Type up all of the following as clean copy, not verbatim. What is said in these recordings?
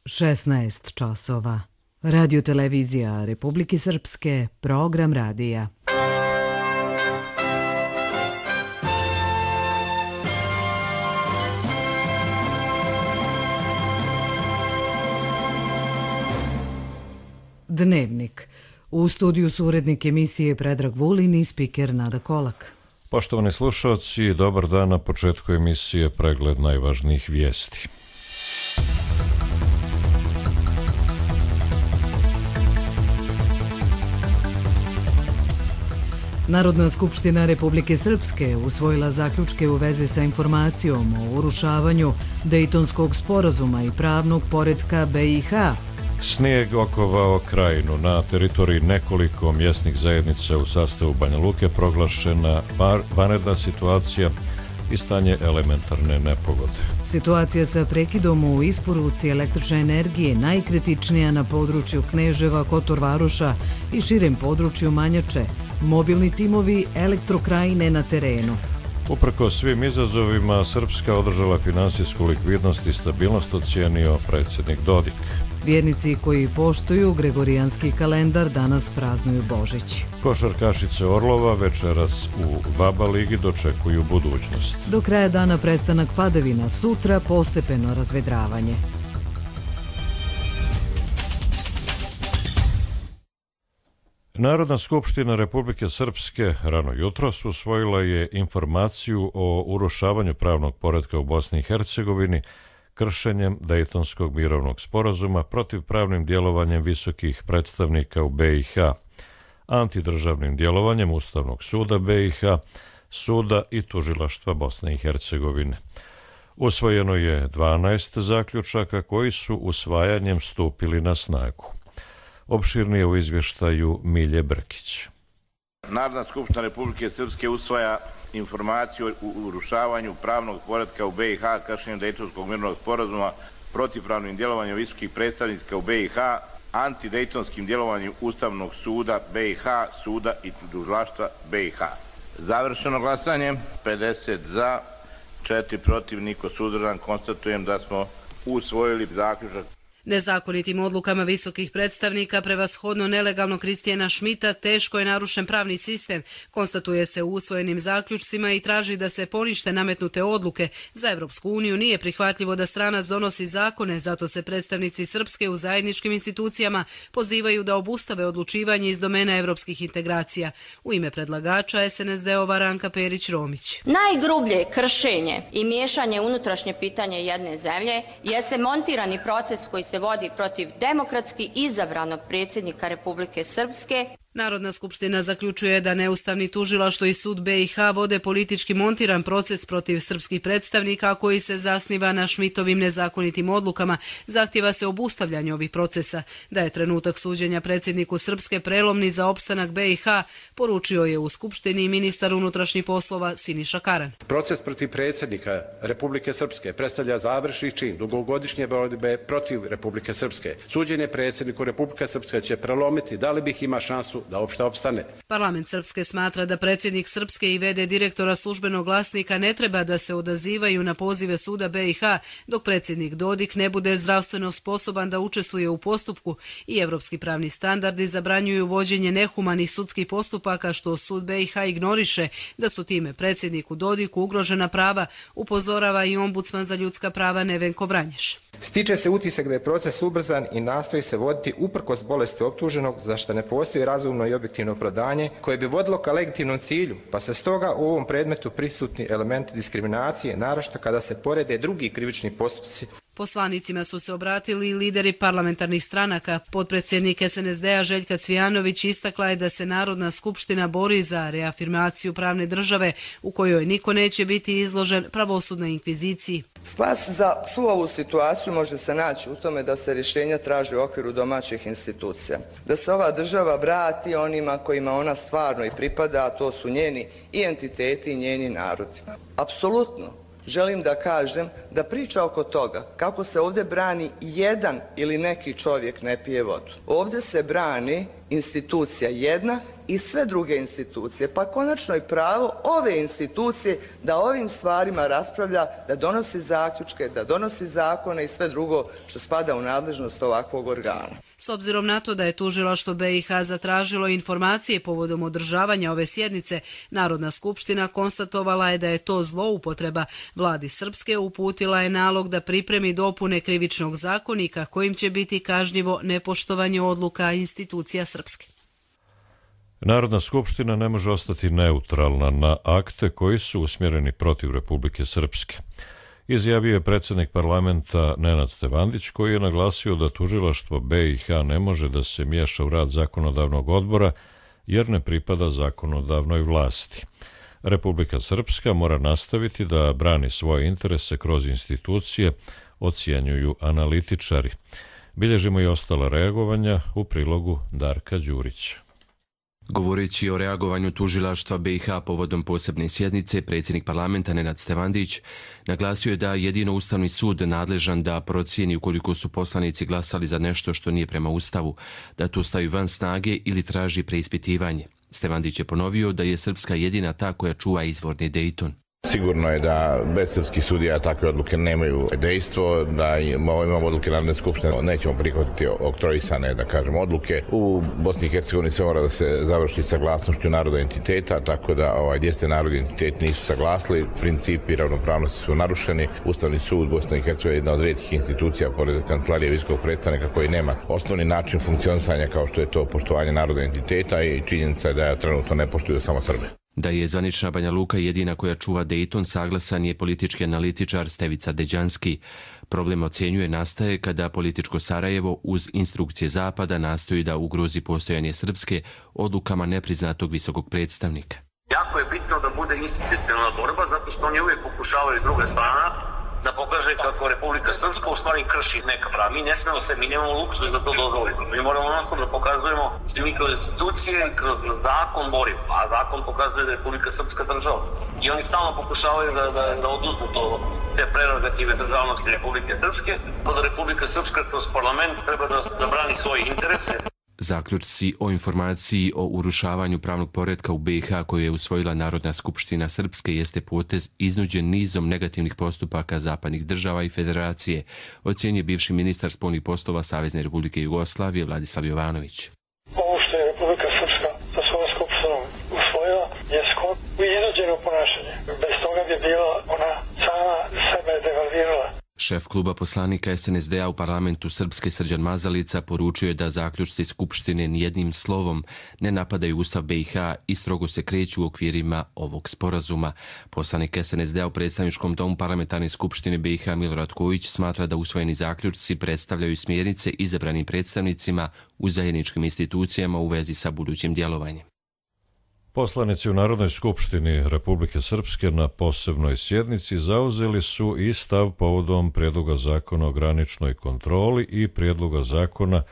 16 časova. Radio televizija Republike Srpske, program radija. Dnevnik. U studiju su urednik emisije Predrag Vulin i spiker Nada Kolak. Poštovani slušalci, dobar dan. Na početku emisije pregled najvažnijih vijesti. Narodna skupština Republike Srpske usvojila zaključke u vezi sa informacijom o urušavanju Dejtonskog sporazuma i pravnog poretka BiH. Snijeg okovao krajinu. Na teritoriji nekoliko mjesnih zajednica u sastavu Banja Luke proglašena vanredna situacija i stanje elementarne nepogode. Situacija sa prekidom u isporuci električne energije najkritičnija na području Kneževa, Kotor Varoša i širem području Manjače. Mobilni timovi Elektrokrajine na terenu. Uprkos svim izazovima, Srpska održala finansijsku likvidnost i stabilnost, ocijenio predsjednik Dodik. Vjernici koji poštuju Gregorijanski kalendar danas praznuju Božić. Košarkašice Orlova večeras u VABA ligi dočekuju budućnost. Do kraja dana prestanak padavina, sutra postepeno razvedravanje. Narodna skupština Republike Srpske rano jutros usvojila je informaciju o urušavanju pravnog poretka u Bosni i Hercegovini kršenjem Dejtonskog mirovnog sporazuma, protivpravnim djelovanjem visokih predstavnika u BiH, antidržavnim djelovanjem Ustavnog suda BiH, suda i tužilaštva Bosne i Hercegovine. Usvojeno je 12 zaključaka koji su usvajanjem stupili na snagu. Opširnije u izvještaju Milje Brkić. Narodna skupština Republike Srpske usvaja informaciju o urušavanju pravnog poretka u BiH, kršenjem Dejtonskog mirovnog sporazuma, protivpravnim djelovanjem visokih predstavnika u BiH, antidejtonskim djelovanjem Ustavnog suda BiH, suda i tužilaštva BiH. Završeno glasanje, 50 za, 4 protiv, niko suzdržan. Konstatujem da smo usvojili zaključak. Nezakonitim odlukama visokih predstavnika, prevashodno nelegalno Kristijana Šmita, teško je narušen pravni sistem, konstatuje se u usvojenim zaključcima i traži da se ponište nametnute odluke. Za Evropsku uniju nije prihvatljivo da stranac donosi zakone, zato se predstavnici Srpske u zajedničkim institucijama pozivaju da obustave odlučivanje iz domena evropskih integracija. U ime predlagača SNSD-ova Ranka Perić-Romić. Najgrublje kršenje i miješanje unutrašnje pitanje jedne zemlje jeste montirani proces koji se vodi protiv demokratski izabranog predsjednika Republike Srpske. Narodna skupština zaključuje da neustavni tužilaštvo i sud BiH vode politički montiran proces protiv srpskih predstavnika koji se zasniva na Šmitovim nezakonitim odlukama. Zahtjeva se obustavljanje ovih procesa. Da je trenutak suđenja predsjedniku Srpske prelomni za opstanak BiH, poručio je u skupštini ministar unutrašnjih poslova Siniša Karan. Proces protiv predsjednika Republike Srpske predstavlja završni čin dugogodišnje borbe protiv Republike Srpske. Suđenje predsjedniku Republike Srpske će prelomiti da li bih ima šansu da opšte opstane. Parlament Srpske smatra da predsjednik Srpske i v.d. direktora službenog glasnika ne treba da se odazivaju na pozive suda BiH dok predsjednik Dodik ne bude zdravstveno sposoban da učestvuje u postupku i evropski pravni standardi zabranjuju vođenje nehumanih sudskih postupaka što sud BiH ignoriše da su time predsjedniku Dodiku ugrožena prava, upozorava i ombudsman za ljudska prava Nevenko Vranješ. Stiče se utisak da je proces ubrzan i nastoji se voditi uprkos bolesti optuženog, za što ne postoji razumno i objektivno opravdanje koje bi vodilo ka legitimnom cilju, pa se stoga u ovom predmetu prisutni elementi diskriminacije, naročito kada se porede drugi krivični postupci. Poslanicima su se obratili lideri parlamentarnih stranaka. Potpredsjednik SNSD-a Željka Cvijanović istakla je da se Narodna skupština bori za reafirmaciju pravne države u kojoj niko neće biti izložen pravosudnoj inkviziciji. Spas za svu ovu situaciju može se naći u tome da se rješenja traži u okviru domaćih institucija. Da se ova država vrati onima kojima ona stvarno i pripada, a to su njeni i entiteti i njeni narodi. Apsolutno želim da kažem da priča oko toga kako se ovdje brani jedan ili neki čovjek ne pije vodu. Ovdje se brani institucija jedna i sve druge institucije, pa konačno i pravo ove institucije da ovim stvarima raspravlja, da donosi zaključke, da donosi zakone i sve drugo što spada u nadležnost ovakvog organa. S obzirom na to da je tužilaštvo BiH zatražilo informacije povodom održavanja ove sjednice, Narodna skupština konstatovala je da je to zloupotreba. Vladi Srpske uputila je nalog da pripremi dopune Krivičnog zakonika kojim će biti kažnjivo nepoštovanje odluka institucija Srpske. Narodna skupština ne može ostati neutralna na akte koji su usmjereni protiv Republike Srpske. Izjavio je predsjednik parlamenta Nenad Stevandić, koji je naglasio da tužilaštvo BiH ne može da se miješa u rad zakonodavnog odbora jer ne pripada zakonodavnoj vlasti. Republika Srpska mora nastaviti da brani svoje interese kroz institucije, ocjenjuju analitičari. Bilježimo i ostala reagovanja u prilogu Darka Đurića. Govoreći o reagovanju tužilaštva BiH povodom posebne sjednice, predsjednik parlamenta Nenad Stevandić naglasio je da jedino Ustavni sud nadležan da procijeni ukoliko su poslanici glasali za nešto što nije prema Ustavu, da to stavi van snage ili traži preispitivanje. Stevandić je ponovio da je Srpska jedina ta koja čuva izvorni Dejton. Sigurno je da bez srpskih sudija takve odluke nemaju dejstvo, da imamo odluke Narodne skupštine, nećemo prihvatiti oktroisane, da kažem, odluke. U Bosni i Hercegovini se mora da se završi saglasnošću naroda entiteta, tako da gdje se narodni entitet nisu saglasili, principi ravnopravnosti su narušeni. Ustavni sud Bosne i Hercegovine je jedna od rijetkih institucija pored Kancelarije visokog predstavnika koji nema osnovni način funkcionisanja kao što je to poštovanje naroda entiteta i činjenica je da trenutno ne poštuju samo Srbe. Da je zvanična Banja Luka jedina koja čuva Dejton, saglasan je politički analitičar Stevica Deđanski. Problem, ocjenjuje, nastaje kada političko Sarajevo uz instrukcije Zapada nastoji da ugrozi postojanje Srpske odlukama nepriznatog visokog predstavnika. Jako je bitno da bude institucionalna borba, zato što oni uvijek pokušavaju druga strana da pokaže kako Republika Srpska u stvari krši neka prava. Mi ne smemo se, mi nemamo luksuz da to dozvolimo. Mi moramo nastavno da pokazujemo svi mi kroz institucije, kroz zakon borimo, a zakon pokazuje da je Republika Srpska država. I oni stalno pokušavaju da oduzmu te prerogative državnosti Republike Srpske, da Republika Srpska kroz parlament treba da brani svoje interese. Zaključci o informaciji o urušavanju pravnog poretka u BiH koju je usvojila Narodna skupština Srpske jeste potez iznuđen nizom negativnih postupaka zapadnih država i federacije, ocjenjuje bivši ministar spoljnih poslova Savezne Republike Jugoslavije Vladislav Jovanović. Ovo što je Republika Srpska sa svojom skupštinom usvojila je skoro iznuđeno ponašanje. Bez toga bi bila ona sama sebe devalvirala. Šef kluba poslanika SNSD-a u parlamentu Srpske Srđan Mazalica poručuje da zaključci Skupštine nijednim slovom ne napadaju Ustav BiH i strogo se kreću u okvirima ovog sporazuma. Poslanik SNSD-a u predstavničkom domu parlamentarne Skupštine BiH Milorad Kojić smatra da usvojeni zaključci predstavljaju smjernice izabranim predstavnicima u zajedničkim institucijama u vezi sa budućim djelovanjem. Poslanici u Narodnoj skupštini Republike Srpske na posebnoj sjednici zauzeli su i stav povodom prijedloga zakona o graničnoj kontroli i prijedloga zakona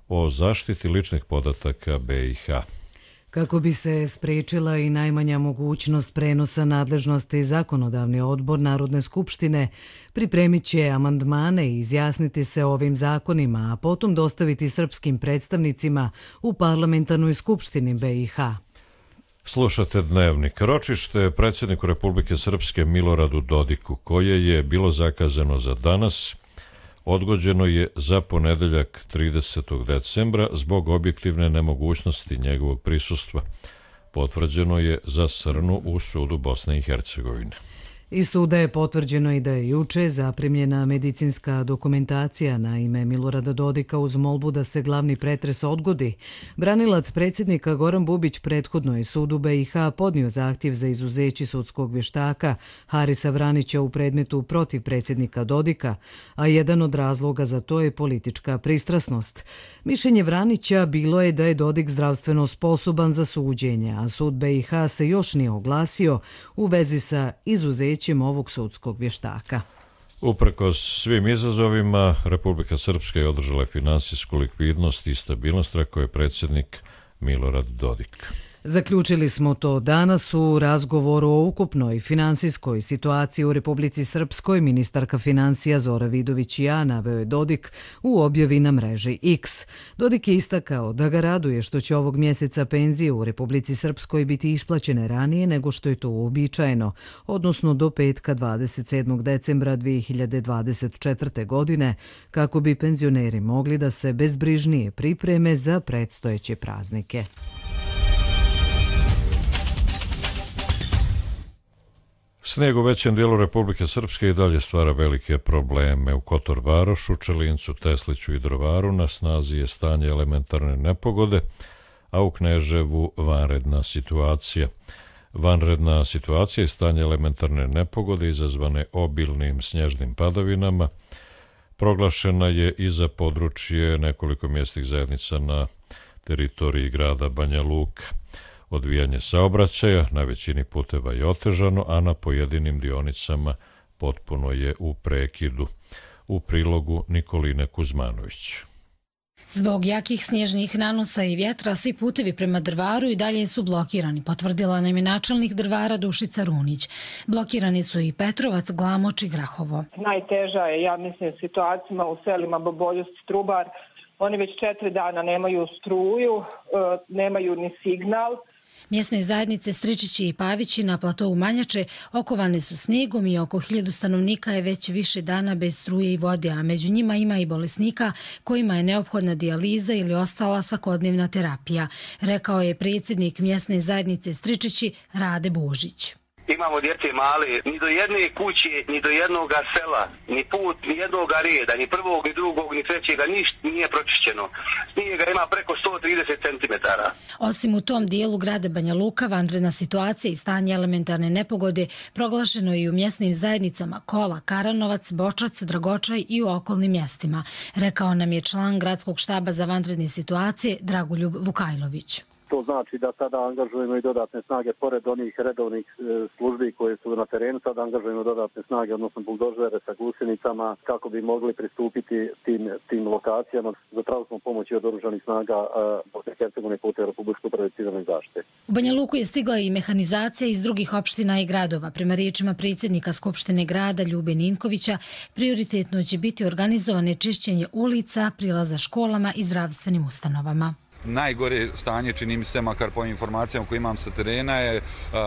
o zaštiti ličnih podataka BiH. Kako bi se spriječila i najmanja mogućnost prenosa nadležnosti, zakonodavni odbor Narodne skupštine pripremit će amandmane i izjasniti se o ovim zakonima, a potom dostaviti srpskim predstavnicima u parlamentarnoj skupštini BiH. Slušate Dnevnik. Ročište predsjedniku Republike Srpske Miloradu Dodiku, koje je bilo zakazano za danas, odgođeno je za ponedeljak 30. decembra zbog objektivne nemogućnosti njegovog prisustva. Potvrđeno je za Srnu u sudu Bosne i Hercegovine. Iz suda je potvrđeno i da je juče zaprimljena medicinska dokumentacija na ime Milorada Dodika uz molbu da se glavni pretres odgodi. Branilac predsjednika Goran Bubić prethodno je sudu BiH podnio zahtjev za izuzeće sudskog vještaka Harisa Vranića u predmetu protiv predsjednika Dodika, a jedan od razloga za to je politička pristrasnost. Mišljenje Vranića bilo je da je Dodik zdravstveno sposoban za suđenje, a sud BiH se još nije oglasio u vezi sa izuzećem ovog sudskog vještaka. Uprkos svim izazovima, Republika Srpska je održala finansijsku likvidnost i stabilnost, rekao je predsjednik Milorad Dodik. Zaključili smo to danas u razgovoru o ukupnoj finansijskoj situaciji u Republici Srpskoj. Ministarka financija Zora Vidović ja naveo je Dodik u objavi na mreži X. Dodik je istakao da ga raduje što će ovog mjeseca penzije u Republici Srpskoj biti isplaćene ranije nego što je to uobičajeno, odnosno do petka 27. decembra 2024. godine, kako bi penzioneri mogli da se bezbrižnije pripreme za predstojeće praznike. Snijeg u većem dijelu Republike Srpske i dalje stvara velike probleme. U Kotor Varošu, Čelincu, Tesliću i Drvaru na snazi je stanje elementarne nepogode, a u Kneževu vanredna situacija. Vanredna situacija je stanje elementarne nepogode izazvane obilnim snježnim padavinama. Proglašena je i za područje nekoliko mjesnih zajednica na teritoriji grada Banja Luka. Odvijanje saobraćaja na većini puteva je otežano, a na pojedinim dionicama potpuno je u prekidu. U prilogu Nikoline Kuzmanović. Zbog jakih snježnih nanosa i vjetra, svi putevi prema Drvaru i dalje su blokirani, potvrdila nam je načelnik Drvara Dušica Runić. Blokirani su i Petrovac, Glamoč i Grahovo. Najteža je, ja mislim, situacijama u selima Boboljus i Trubar. Oni već 4 dana nemaju struju, nemaju ni signal. Mjesne zajednice Stričići i Pavići na platovu Manjače okovane su snijegom i oko 1000 stanovnika je već više dana bez struje i vode, a među njima ima i bolesnika kojima je neophodna dijaliza ili ostala svakodnevna terapija, rekao je predsjednik mjesne zajednice Stričići Rade Božić. Imamo djece male, ni do jedne kuće, ni do jednog sela, ni put, ni jednog reda, ni prvog, ni drugog, ni trećega, ništa nije pročišćeno. Snijega ima preko 130 cm. Osim u tom dijelu grada Banja Luka, vanredna situacija i stanje elementarne nepogode proglašeno je i u mjesnim zajednicama Kola, Karanovac, Bočac, Dragočaj i u okolnim mjestima, rekao nam je član gradskog štaba za vanredne situacije Dragoljub Vukajlović. To znači da sada angažujemo i dodatne snage, pored onih redovnih službi koje su na terenu, sada angažujemo dodatne snage, odnosno buldožere sa gusenicama, kako bi mogli pristupiti tim lokacijama. Zatražili smo pomoć od oružanih snaga Bosne i Hercegovine putem Republičke uprave civilne zaštite. U Banja Luku je stigla i mehanizacija iz drugih opština i gradova. Prema riječima predsjednika Skupštine grada Ljube Ninkovića, prioritetno će biti organizovane čišćenje ulica, prilaza školama i zdravstvenim ustanovama. Najgore stanje, čini mi se, makar po informacijama koje imam sa terena, je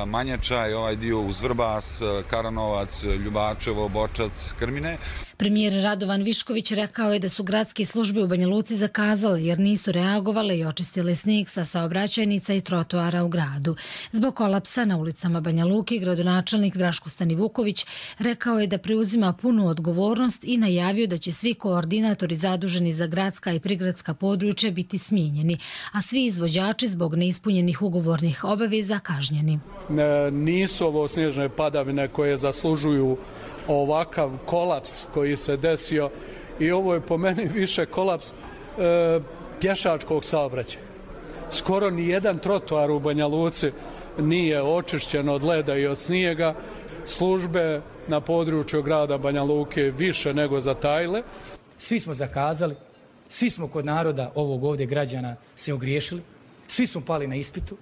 Manjača i ovaj dio uz Vrbas, Karanovac, Ljubačevo, Bočac, Krmine. Premijer Radovan Višković rekao je da su gradske službe u Banja Luci zakazale jer nisu reagovale i očistile snijeg sa saobraćajnica i trotoara u gradu. Zbog kolapsa na ulicama Banja Luke, gradonačelnik Draško Stanivuković rekao je da preuzima punu odgovornost i najavio da će svi koordinatori zaduženi za gradska i prigradska područja biti smijenjeni, a svi izvođači zbog neispunjenih ugovornih obaveza kažnjeni. Nisu ovo snježne padavine koje zaslužuju ovakav kolaps koji se desio i ovo je po meni više kolaps pješačkog saobraćaja. Skoro ni jedan trotoar u Banja Luci nije očišćen od leda i od snijega. Službe na području grada Banja Luke više nego zatajile. Svi smo zakazali, svi smo kod naroda ovog ovdje građana se ogriješili, svi smo pali na ispitu.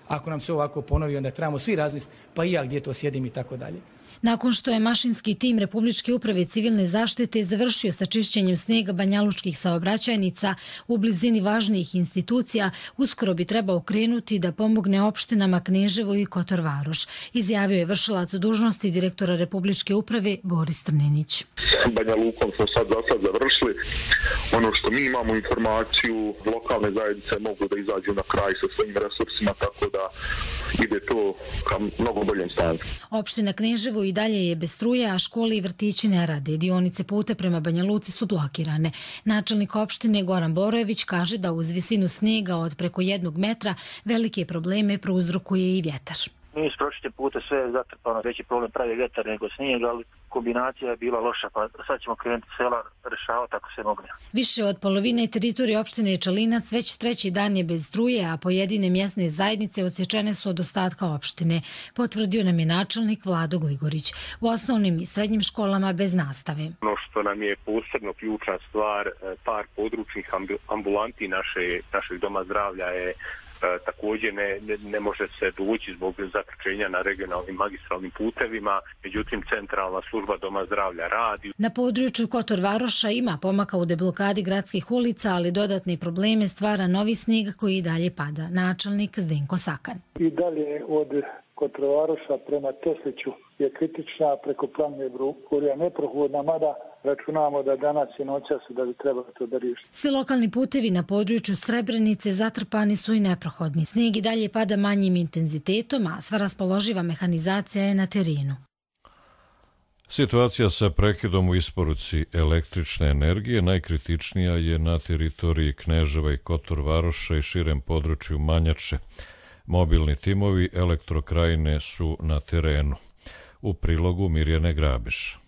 Ako nam se ovako ponovi, onda trebamo svi razmisliti, pa i ja gdje to sjedim i tako dalje. Nakon što je mašinski tim Republičke uprave civilne zaštite završio sa čišćenjem snijega banjalučkih saobraćajnica u blizini važnijih institucija, uskoro bi trebao krenuti da pomogne opštinama Kneževo i Kotor Varoš, izjavio je vršilac dužnosti direktora Republičke uprave Boris Trninić. Banja Lukom smo sad završili. Ono što mi imamo informaciju, lokalne zajednice mogu da izađu na kraj sa svojim resursima, tako da ide to ka mnogo boljem stanju. Opština Kneževo i dalje je bez struje, a škole i vrtići ne rade. Dionice puta prema Banja Luci su blokirane. Načelnik opštine Goran Borojević kaže da uz visinu snijega od preko 1 metra velike probleme prouzrokuje i vjetar. Nisu prošli puta sve zatrpano, veći problem pravi vjetar nego snijeg, ali kombinacija je bila loša, pa sad ćemo krenuti sela rešavati ako se mogne. Više od polovine teritorije opštine Čelinac već 3. dan je bez struje, a pojedine mjesne zajednice odsječene su od ostatka opštine, potvrdio nam je načelnik Vlado Gligorić. U osnovnim i srednjim školama bez nastave. Ono što nam je posebno ključna stvar, par područnih ambulanti našeg doma zdravlja je također ne može se doći zbog zaključenja na regionalnim magistralnim putevima, međutim centralna služba Doma zdravlja radi. Na području Kotor Varoša ima pomaka u deblokadi gradskih ulica, ali dodatne probleme stvara novi snijeg koji i dalje pada. Načelnik Zdenko Sakan. I dalje od Kotor Varoša prema Tesliću je kritična, preko Planine Brurija neprohodna, mada računamo da danas i noćas da bi trebalo to da riješi. Svi lokalni putevi na području Srebrenice zatrpani su i neprohodni. Snijeg i dalje pada manjim intenzitetom, a sva raspoloživa mehanizacija je na terenu. Situacija sa prekidom u isporuci električne energije najkritičnija je na teritoriji Kneževa i Kotor Varoša i širem području Manjače. Mobilni timovi Elektrokrajine su na terenu. U prilogu Mirjane Grabiš.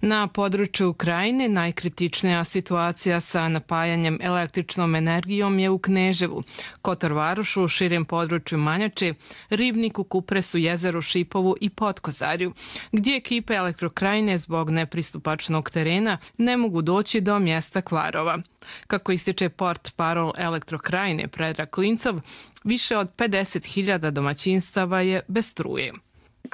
Na području Krajine najkritičnija situacija sa napajanjem električnom energijom je u Kneževu, Kotor Varošu, širem području Manjače, Ribniku, Kupresu, Jezeru, Šipovu i Potkozarju, gdje ekipe Elektrokrajine zbog nepristupačnog terena ne mogu doći do mjesta kvarova. Kako ističe portparol Elektrokrajine Predrag Klincov, više od 50.000 domaćinstava je bez struje.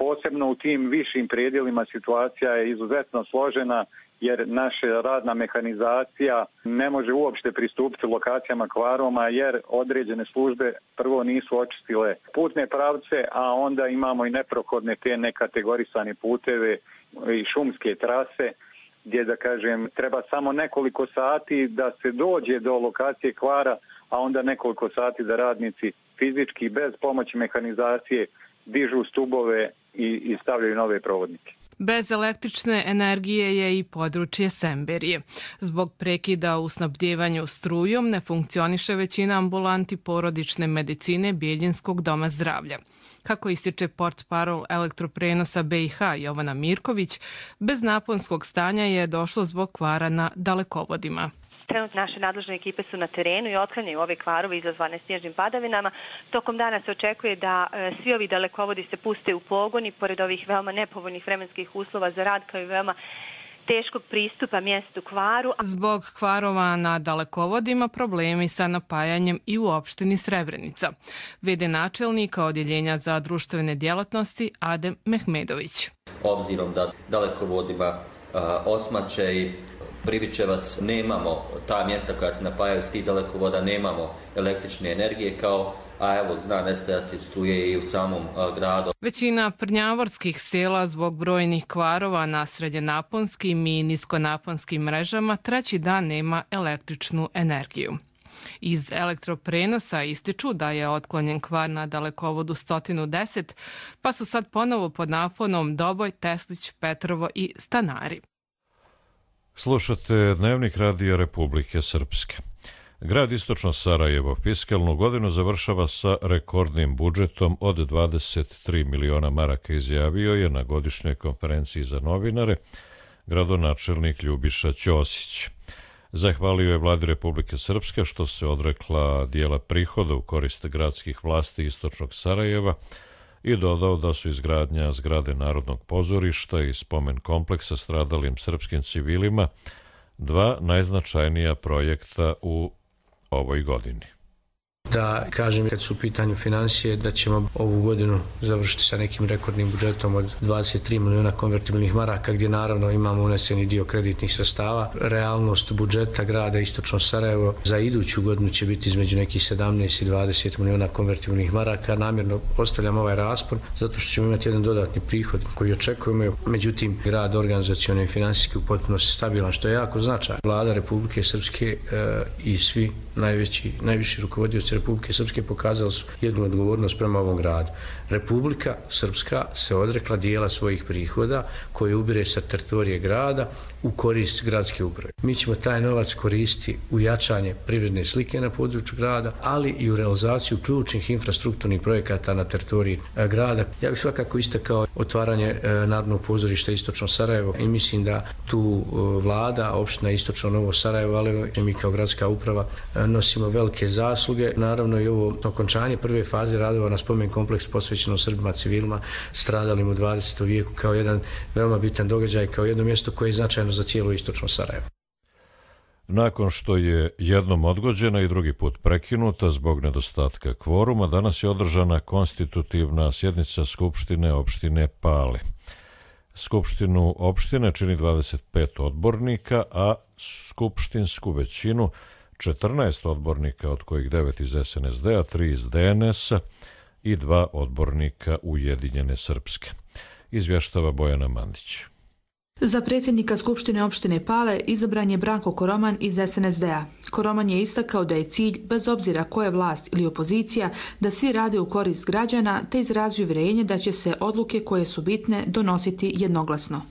Posebno u tim višim predjelima situacija je izuzetno složena jer naša radna mehanizacija ne može uopšte pristupiti lokacijama kvaroma jer određene službe prvo nisu očistile putne pravce, a onda imamo i neprohodne te nekategorisane puteve i šumske trase gdje, da kažem, treba samo nekoliko sati da se dođe do lokacije kvara, a onda nekoliko sati da radnici fizički bez pomoći mehanizacije dižu stubove i stavljaju nove provodnike. Bez električne energije je i područje Semberije. Zbog prekida u snabdjevanju strujom ne funkcioniše većina ambulanti porodične medicine Bijeljinskog doma zdravlja. Kako ističe portparol Elektroprenosa BiH Jovana Mirković, bez naponskog stanja je došlo zbog kvara na dalekovodima. Trenutno naše nadležne ekipe su na terenu i otklanjaju ove kvarove izazvane snježnim padavinama. Tokom dana se očekuje da svi ovi dalekovodi se puste u pogon i pored ovih veoma nepovoljnih vremenskih uslova za rad kao i veoma teškog pristupa mjestu kvaru. Zbog kvarova na dalekovodima problemi sa napajanjem i u opštini Srebrenica. V.d. načelnika Odjeljenja za društvene djelatnosti Adem Mehmedović. Obzirom da dalekovodima Osmače i Privičevac nemamo ta mjesta koja se napajaju s tih dalekovoda, nemamo električne energije zna nestajati struje i u samom gradu. Većina prnjavorskih sela zbog brojnih kvarova na srednjenaponskim i niskonaponskim mrežama treći dan nema električnu energiju. Iz Elektroprenosa ističu da je otklonjen kvar na dalekovodu 110, pa su sad ponovo pod naponom Doboj, Teslić, Petrovo i Stanari. Slušate Dnevnik Radija Republike Srpske. Grad Istočno Sarajevo fiskalnu godinu završava sa rekordnim budžetom od 23 miliona maraka, izjavio je na godišnjoj konferenciji za novinare gradonačelnik Ljubiša Ćosić. Zahvalio je Vladi Republike Srpske što se odrekla dijela prihoda u korist gradskih vlasti Istočnog Sarajeva i dodao da su izgradnja zgrade Narodnog pozorišta i spomen kompleksa stradalim srpskim civilima dva najznačajnija projekta u ovoj godini. Da kažem, kad su u pitanju financije, da ćemo ovu godinu završiti sa nekim rekordnim budžetom od 23 miliona konvertibilnih maraka, gdje naravno imamo uneseni dio kreditnih sredstava. Realnost budžeta grada Istočno Sarajevo za iduću godinu će biti između nekih 17 i 20 miliona konvertibilnih maraka. Namjerno ostavljam ovaj raspon zato što ćemo imati jedan dodatni prihod koji očekujemo. Međutim, grad organizacijalno i finansijski u potpunosti stabilan, što je jako značajno. Vlada Republike Srpske i svi najviši rukovodioci Republike Srpske pokazali su jednu odgovornost prema ovom gradu. Republika Srpska se odrekla dijela svojih prihoda koje ubire sa teritorije grada u korist gradske uprave. Mi ćemo taj novac koristiti u jačanje privredne slike na području grada, ali i u realizaciju ključnih infrastrukturnih projekata na teritoriji grada. Ja bih svakako istakao otvaranje Narodnog pozorišta Istočno Sarajevo i mislim da tu vlada, opština Istočno Novo Sarajevo, ali mi kao gradska uprava nosimo velike zasluge. Naravno i ovo okončanje prve faze radova na spomen kompleks posvećeno Srbima civilima stradalim u 20. vijeku kao jedan veoma bitan događaj, kao jedno mjesto koje je značajno za cijelo Istočno Sarajevo. Nakon što je jednom odgođena i drugi put prekinuta zbog nedostatka kvoruma, danas je održana konstitutivna sjednica Skupštine opštine Pale. Skupštinu opštine čini 25 odbornika, a skupštinsku većinu 14 odbornika, od kojih 9 iz SNSD-a, 3 iz DNS-a i 2 odbornika Ujedinjene Srpske. Izvještava Bojana Mandić. Za predsjednika Skupštine opštine Pale izabran je Branko Koroman iz SNSD-a. Koroman je istakao da je cilj, bez obzira ko je vlast ili opozicija, da svi rade u korist građana, te izrazio uvjerenje da će se odluke koje su bitne donositi jednoglasno.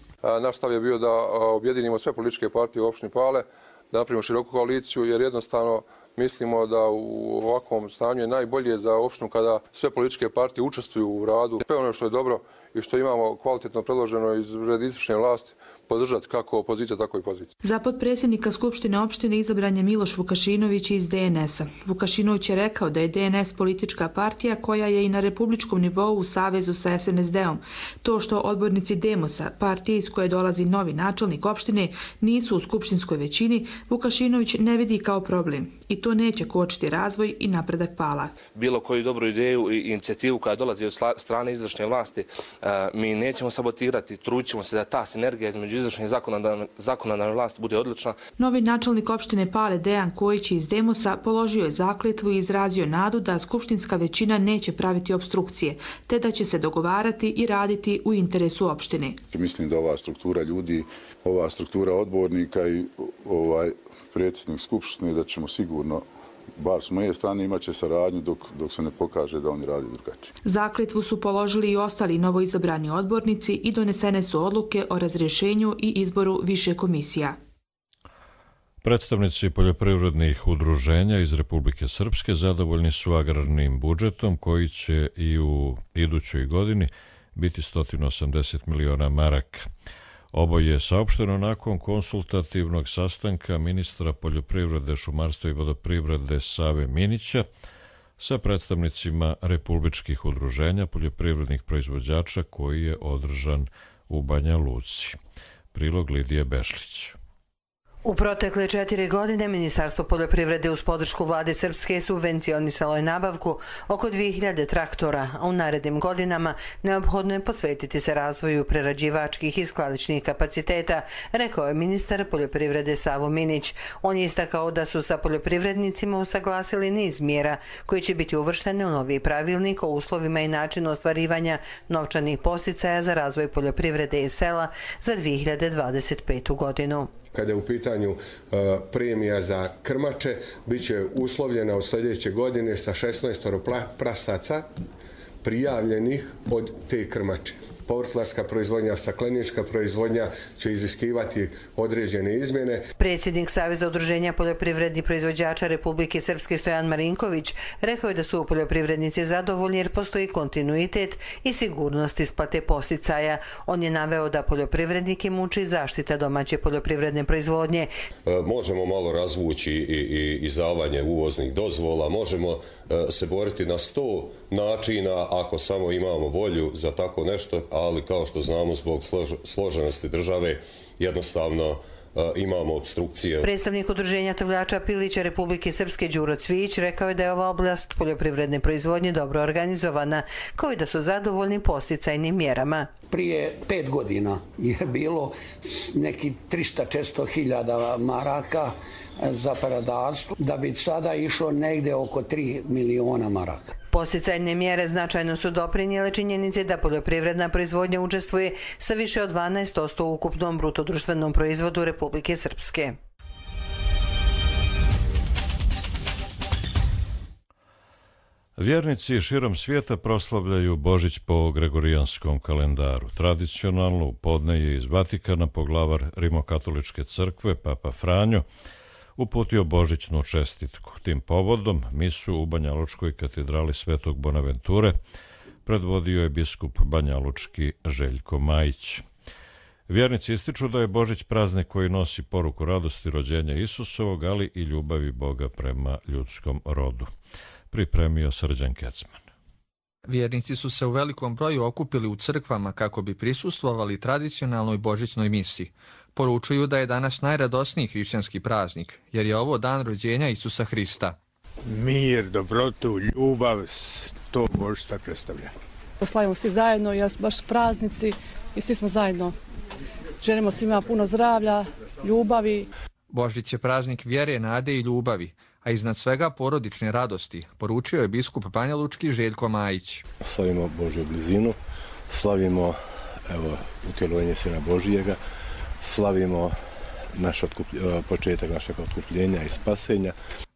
Naš stav je bio da objedinimo sve političke partije u opštini Pale, da napravimo široku koaliciju, jer jednostavno mislimo da u ovakvom stanju je najbolje za opštinu kada sve političke partije učestvuju u radu. Sve ono što je dobro i što imamo kvalitetno predloženo iz red izvršne vlasti podržati kako opozicija, tako i pozicija. Za potpredsjednika Skupštine opštine izabran je Miloš Vukašinović iz DNS-a. Vukašinović je rekao da je DNS politička partija koja je i na republičkom nivou u savezu sa SNSD-om. To što odbornici Demosa, partije iz koje dolazi novi načelnik opštine, nisu u skupštinskoj većini, Vukašinović ne vidi kao problem. I to neće kočiti razvoj i napredak Pala. Bilo koju dobru ideju i inicijativu koja dolazi od strane izvršne vlasti, mi nećemo sabotirati, trudit ćemo se da ta sinergija između izvršne i zakonodavne vlasti bude odlična. Novi načelnik opštine Pale Dejan Kojić iz Demosa položio je zakletvu i izrazio nadu da skupštinska većina neće praviti obstrukcije, te da će se dogovarati i raditi u interesu opštine. Mislim da ova struktura ljudi, ova struktura odbornika i predsjednik skupštine, da ćemo sigurno, bar s moje strane, imat će saradnju dok se ne pokaže da oni radi drugačije. Zakletvu su položili i ostali novoizabrani odbornici i donesene su odluke o razrješenju i izboru više komisija. Predstavnici poljoprivrednih udruženja iz Republike Srpske zadovoljni su agrarnim budžetom koji će i u idućoj godini biti 180 miliona maraka. Ovo je saopšteno nakon konsultativnog sastanka ministra poljoprivrede, šumarstva i vodoprivrede Save Minića sa predstavnicima republičkih udruženja poljoprivrednih proizvođača koji je održan u Banja Luci. Prilog Lidije Bešlić. U protekle 4 godine Ministarstvo poljoprivrede uz podršku vlade Srpske subvencionisalo je nabavku oko 2000 traktora, a u narednim godinama neophodno je posvetiti se razvoju prerađivačkih i skladišnih kapaciteta, rekao je ministar poljoprivrede Savo Minić. On je istakao da su sa poljoprivrednicima usaglasili niz mjera koji će biti uvrštene u novi pravilnik o uslovima i načinu ostvarivanja novčanih podsticaja za razvoj poljoprivrede i sela za 2025. godinu. Kada je u pitanju premija za krmače, bit će uslovljena od sljedeće godine sa 16 prasaca prijavljenih od te krmače. Povrtlarska proizvodnja, staklenička proizvodnja će iziskivati određene izmjene. Predsjednik Saveza udruženja poljoprivrednih proizvođača Republike Srpske Stojan Marinković rekao je da su poljoprivrednici zadovoljni jer postoji kontinuitet i sigurnost isplate podsticaja. On je naveo da poljoprivrednike muči zaštita domaće poljoprivredne proizvodnje. Možemo malo razvući i izdavanje uvoznih dozvola, možemo se boriti na 100 načina ako samo imamo volju za tako nešto, ali kao što znamo zbog složenosti države jednostavno imamo obstrukcije. Predstavnik udruženja tovljača Pilića Republike Srpske Đuro Cvijić rekao je da je ova oblast poljoprivredne proizvodnje dobro organizovana, kao i da su zadovoljni podsticajnim mjerama. Prije 5 godina je bilo neki 300-400 hiljada maraka za peradarstvo, da bi sada išlo negdje oko 3 miliona maraka. Podsticajne mjere značajno su doprinijele činjenici da poljoprivredna proizvodnja učestvuje sa više od 12% u ukupnom brutodruštvenom proizvodu Republike Srpske. Vjernici širom svijeta proslavljaju Božić po gregorijanskom kalendaru. Tradicionalno u podne je iz Vatikana poglavar Rimokatoličke crkve, Papa Franjo, uputio božićnu čestitku. Tim povodom misu u Banjalučkoj katedrali Svetog Bonaventure predvodio je biskup banjalučki Željko Majić. Vjernici ističu da je Božić praznik koji nosi poruku radosti rođenja Isusovog, ali i ljubavi Boga prema ljudskom rodu. Pripremio Srđan Kecman. Vjernici su se u velikom broju okupili u crkvama kako bi prisustvovali tradicionalnoj božićnoj misi. Poručuju da je danas najradosniji hrišćanski praznik, jer je ovo dan rođenja Isusa Hrista. Mir, dobrotu, ljubav, to Božstva predstavlja. Slavimo svi zajedno, baš praznici i svi smo zajedno. Želimo svima puno zdravlja, ljubavi. Božić je praznik vjere, nade i ljubavi, a iznad svega porodične radosti, poručio je biskup Banjalučki Željko Majić. Slavimo Božju blizinu, slavimo utjelovanje Sina Božijega, slavimo početak našeg otkupljenja i spasenja.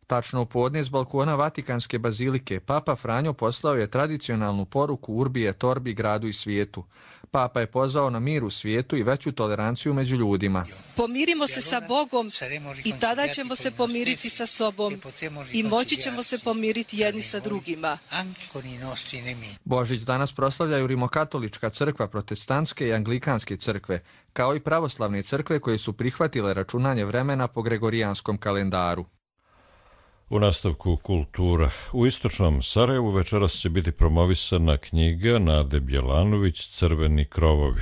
Tačno u podne s balkona Vatikanske bazilike Papa Franjo poslao je tradicionalnu poruku Urbi et Orbi gradu i svijetu. Papa je pozvao na mir u svijetu i veću toleranciju među ljudima. Pomirimo se sa Bogom i tada ćemo se pomiriti sa sobom i moći ćemo se pomiriti jedni sa drugima. Božić danas proslavljaju Rimokatolička crkva, protestantske i anglikanske crkve, kao i pravoslavne crkve koje su prihvatile računanje vremena po gregorijanskom kalendaru. U nastavku kultura. U istočnom Sarajevu večeras će biti promovisana knjiga Nade Bjelanović Crveni krovovi.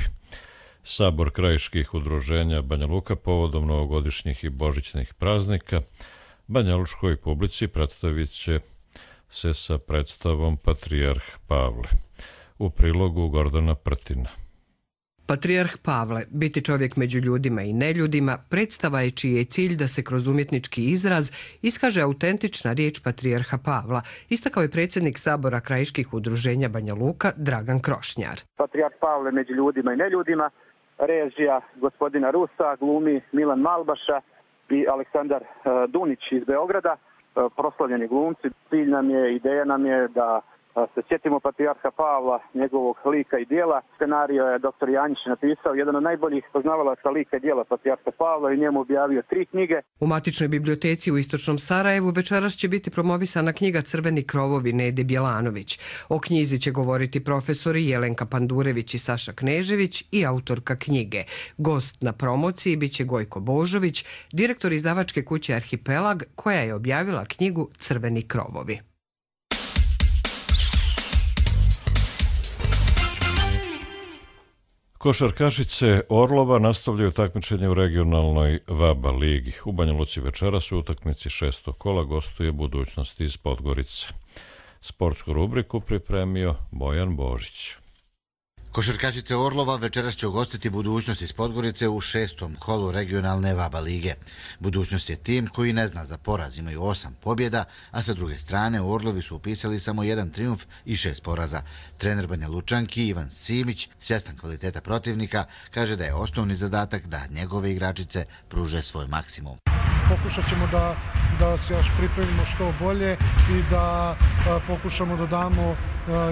Sabor krajiških udruženja Banja Luka povodom novogodišnjih i božićnih praznika banjalučkoj publici predstavit će se sa predstavom Patrijarh Pavle. U prilogu Gordana Prtina. Patrijarh Pavle, biti čovjek među ljudima i neljudima, predstava je čiji je cilj da se kroz umjetnički izraz iskaže autentična riječ Patrijarha Pavla, istakao je predsjednik Sabora krajiških udruženja Banja Luka Dragan Krošnjar. Patrijarh Pavle među ljudima i neljudima, režija gospodina Rusa, glumi Milan Malbaša i Aleksandar Dunić iz Beograda, proslavljeni glumci. Cilj nam je, ideja nam je da se sjetimo Patrijarha Pavla, njegovog lika i dijela. Scenario je dr. Janjić napisao, jedan od najboljih poznavalaca lika i dijela Patrijarha Pavla i njemu objavio 3 knjige. U matičnoj biblioteci u istočnom Sarajevu večeras će biti promovisana knjiga Crveni krovovi Nede Bjelanović. O knjizi će govoriti profesori Jelenka Pandurević i Saša Knežević i autorka knjige. Gost na promociji biće Gojko Božović, direktor izdavačke kuće Arhipelag, koja je objavila knjigu Crveni krovovi. Košarkašice Orlova nastavljaju takmičenje u regionalnoj VABA ligi. U Banja Luci večeras u utakmici 6. kola gostuje Budućnost iz Podgorice. Sportsku rubriku pripremio Bojan Božić. Košarkašice Orlova večeras će ugostiti Budućnost iz Podgorice u 6. kolu regionalne VABA lige. Budućnost je tim koji ne zna za poraz, imaju 8 pobjeda, a sa druge strane Orlovi su upisali samo 1 trijumf i 6 poraza. Trener Banja Lučanki Ivan Simić, svjestan kvaliteta protivnika, kaže da je osnovni zadatak da njegove igračice pruže svoj maksimum. Pokušat ćemo da se još pripremimo što bolje i da pokušamo da damo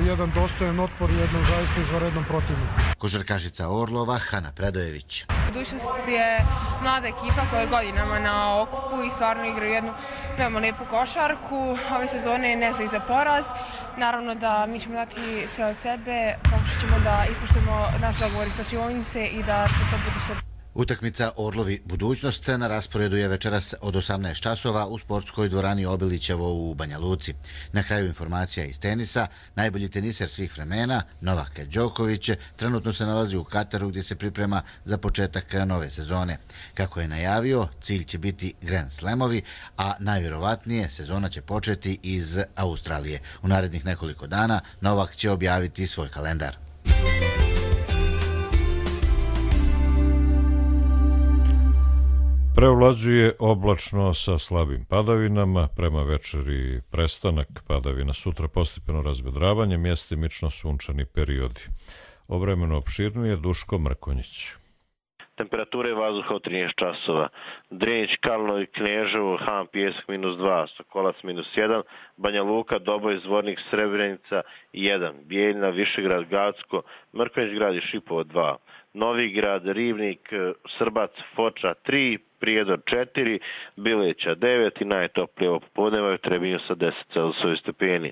jedan dostojan otpor jednom zaista izvanrednom protivniku. Košarkašica Orlova Hana Predojević. Budućnost je mlada ekipa koja je godinama na okupu i stvarno igraju jednu veoma lijepu košarku. Ove sezone ne zna ih za poraz. Naravno da mi ćemo dati sve od sebe, pokušat ćemo da ispoštujemo naš dogovor iz slačionice i da se to bude što. Utakmica Orlovi Budućnost na rasporedu je večeras od 18 časova u sportskoj dvorani Obilićevo u Banja Luci. Na kraju informacija iz tenisa, najbolji teniser svih vremena, Novak Đoković, trenutno se nalazi u Kataru gdje se priprema za početak nove sezone. Kako je najavio, cilj će biti Grand Slamovi, a najvjerovatnije sezona će početi iz Australije. U narednih nekoliko dana Novak će objaviti svoj kalendar. Preovlađuje oblačno sa slabim padavinama, prema večeri prestanak padavina, sutra postepeno razvedravanje, mjestimično sunčani periodi. O vremenu opširnije Duško Mrkonjić. Temperature vazduha od 13 časova. Drinić, Kalno i Kneževo, Han, Pijesak -2, Sokolac -1, Banja Luka, Doboj, Zvornik, Srebrenica 1, Bijeljina, Višegrad, Gacko, Mrkonjić grad i Šipovo 2, Novi grad, Rivnik, Srbac, Foča 3, Prijedor 4, Bileća 9 i najtoplije ovo popodneva u Trebinju sa 10 Celzijusovih stepeni.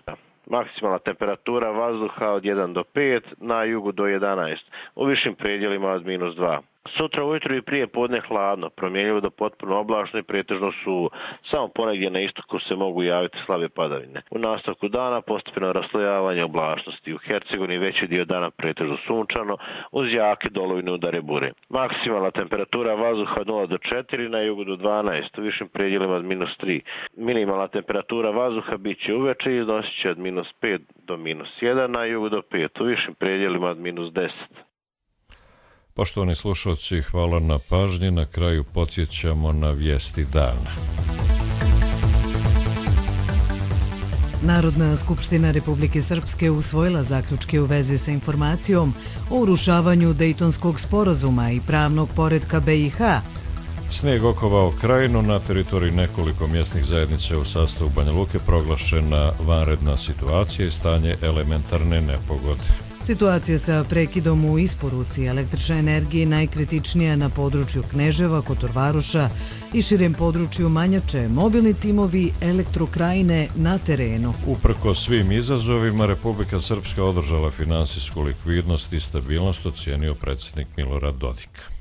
Maksimalna temperatura vazduha od 1 do 5, na jugu do 11, u višim predjelima od -2. Sutra ujutro i prije podne hladno, promjenjivo do potpuno oblačno i pretežno suvo. Samo ponegdje na istoku se mogu javiti slabe padavine. U nastavku dana postepeno raslojavanje oblačnosti. U Hercegovini veći dio dana pretežno sunčano, uz jake dolovine udare bure. Maksimalna temperatura vazduha od 0 do 4, na jugu do 12, u višim predjelima od -3. Minimalna temperatura vazduha bit će uveče i iznosit će od -5 do -1, na jugu do 5, u višim predjelima od -10. Poštovani slušalci, hvala na pažnji. Na kraju podsjećamo na vijesti dana. Narodna skupština Republike Srpske usvojila zaključke u vezi sa informacijom o urušavanju Dejtonskog sporazuma i pravnog poretka BiH. Snijeg okovao krajinu, na teritoriji nekoliko mjesnih zajednica u sastavu Banja Luke proglašena vanredna situacija i stanje elementarne nepogode. Situacija sa prekidom u isporuci električne energije najkritičnija na području Kneževa, Kotorvaroša i širem području Manjače, mobilni timovi Elektrokrajine na terenu. Uprkos svim izazovima, Republika Srpska održala finansijsku likvidnost i stabilnost, ocijenio predsjednik Milorad Dodik.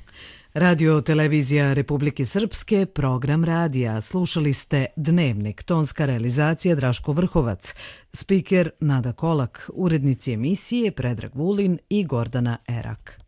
Radio televizija Republike Srpske, program radija. Slušali ste Dnevnik, tonska realizacija Draško Vrhovac, spiker Nada Kolak, urednici emisije Predrag Vulin i Gordana Erak.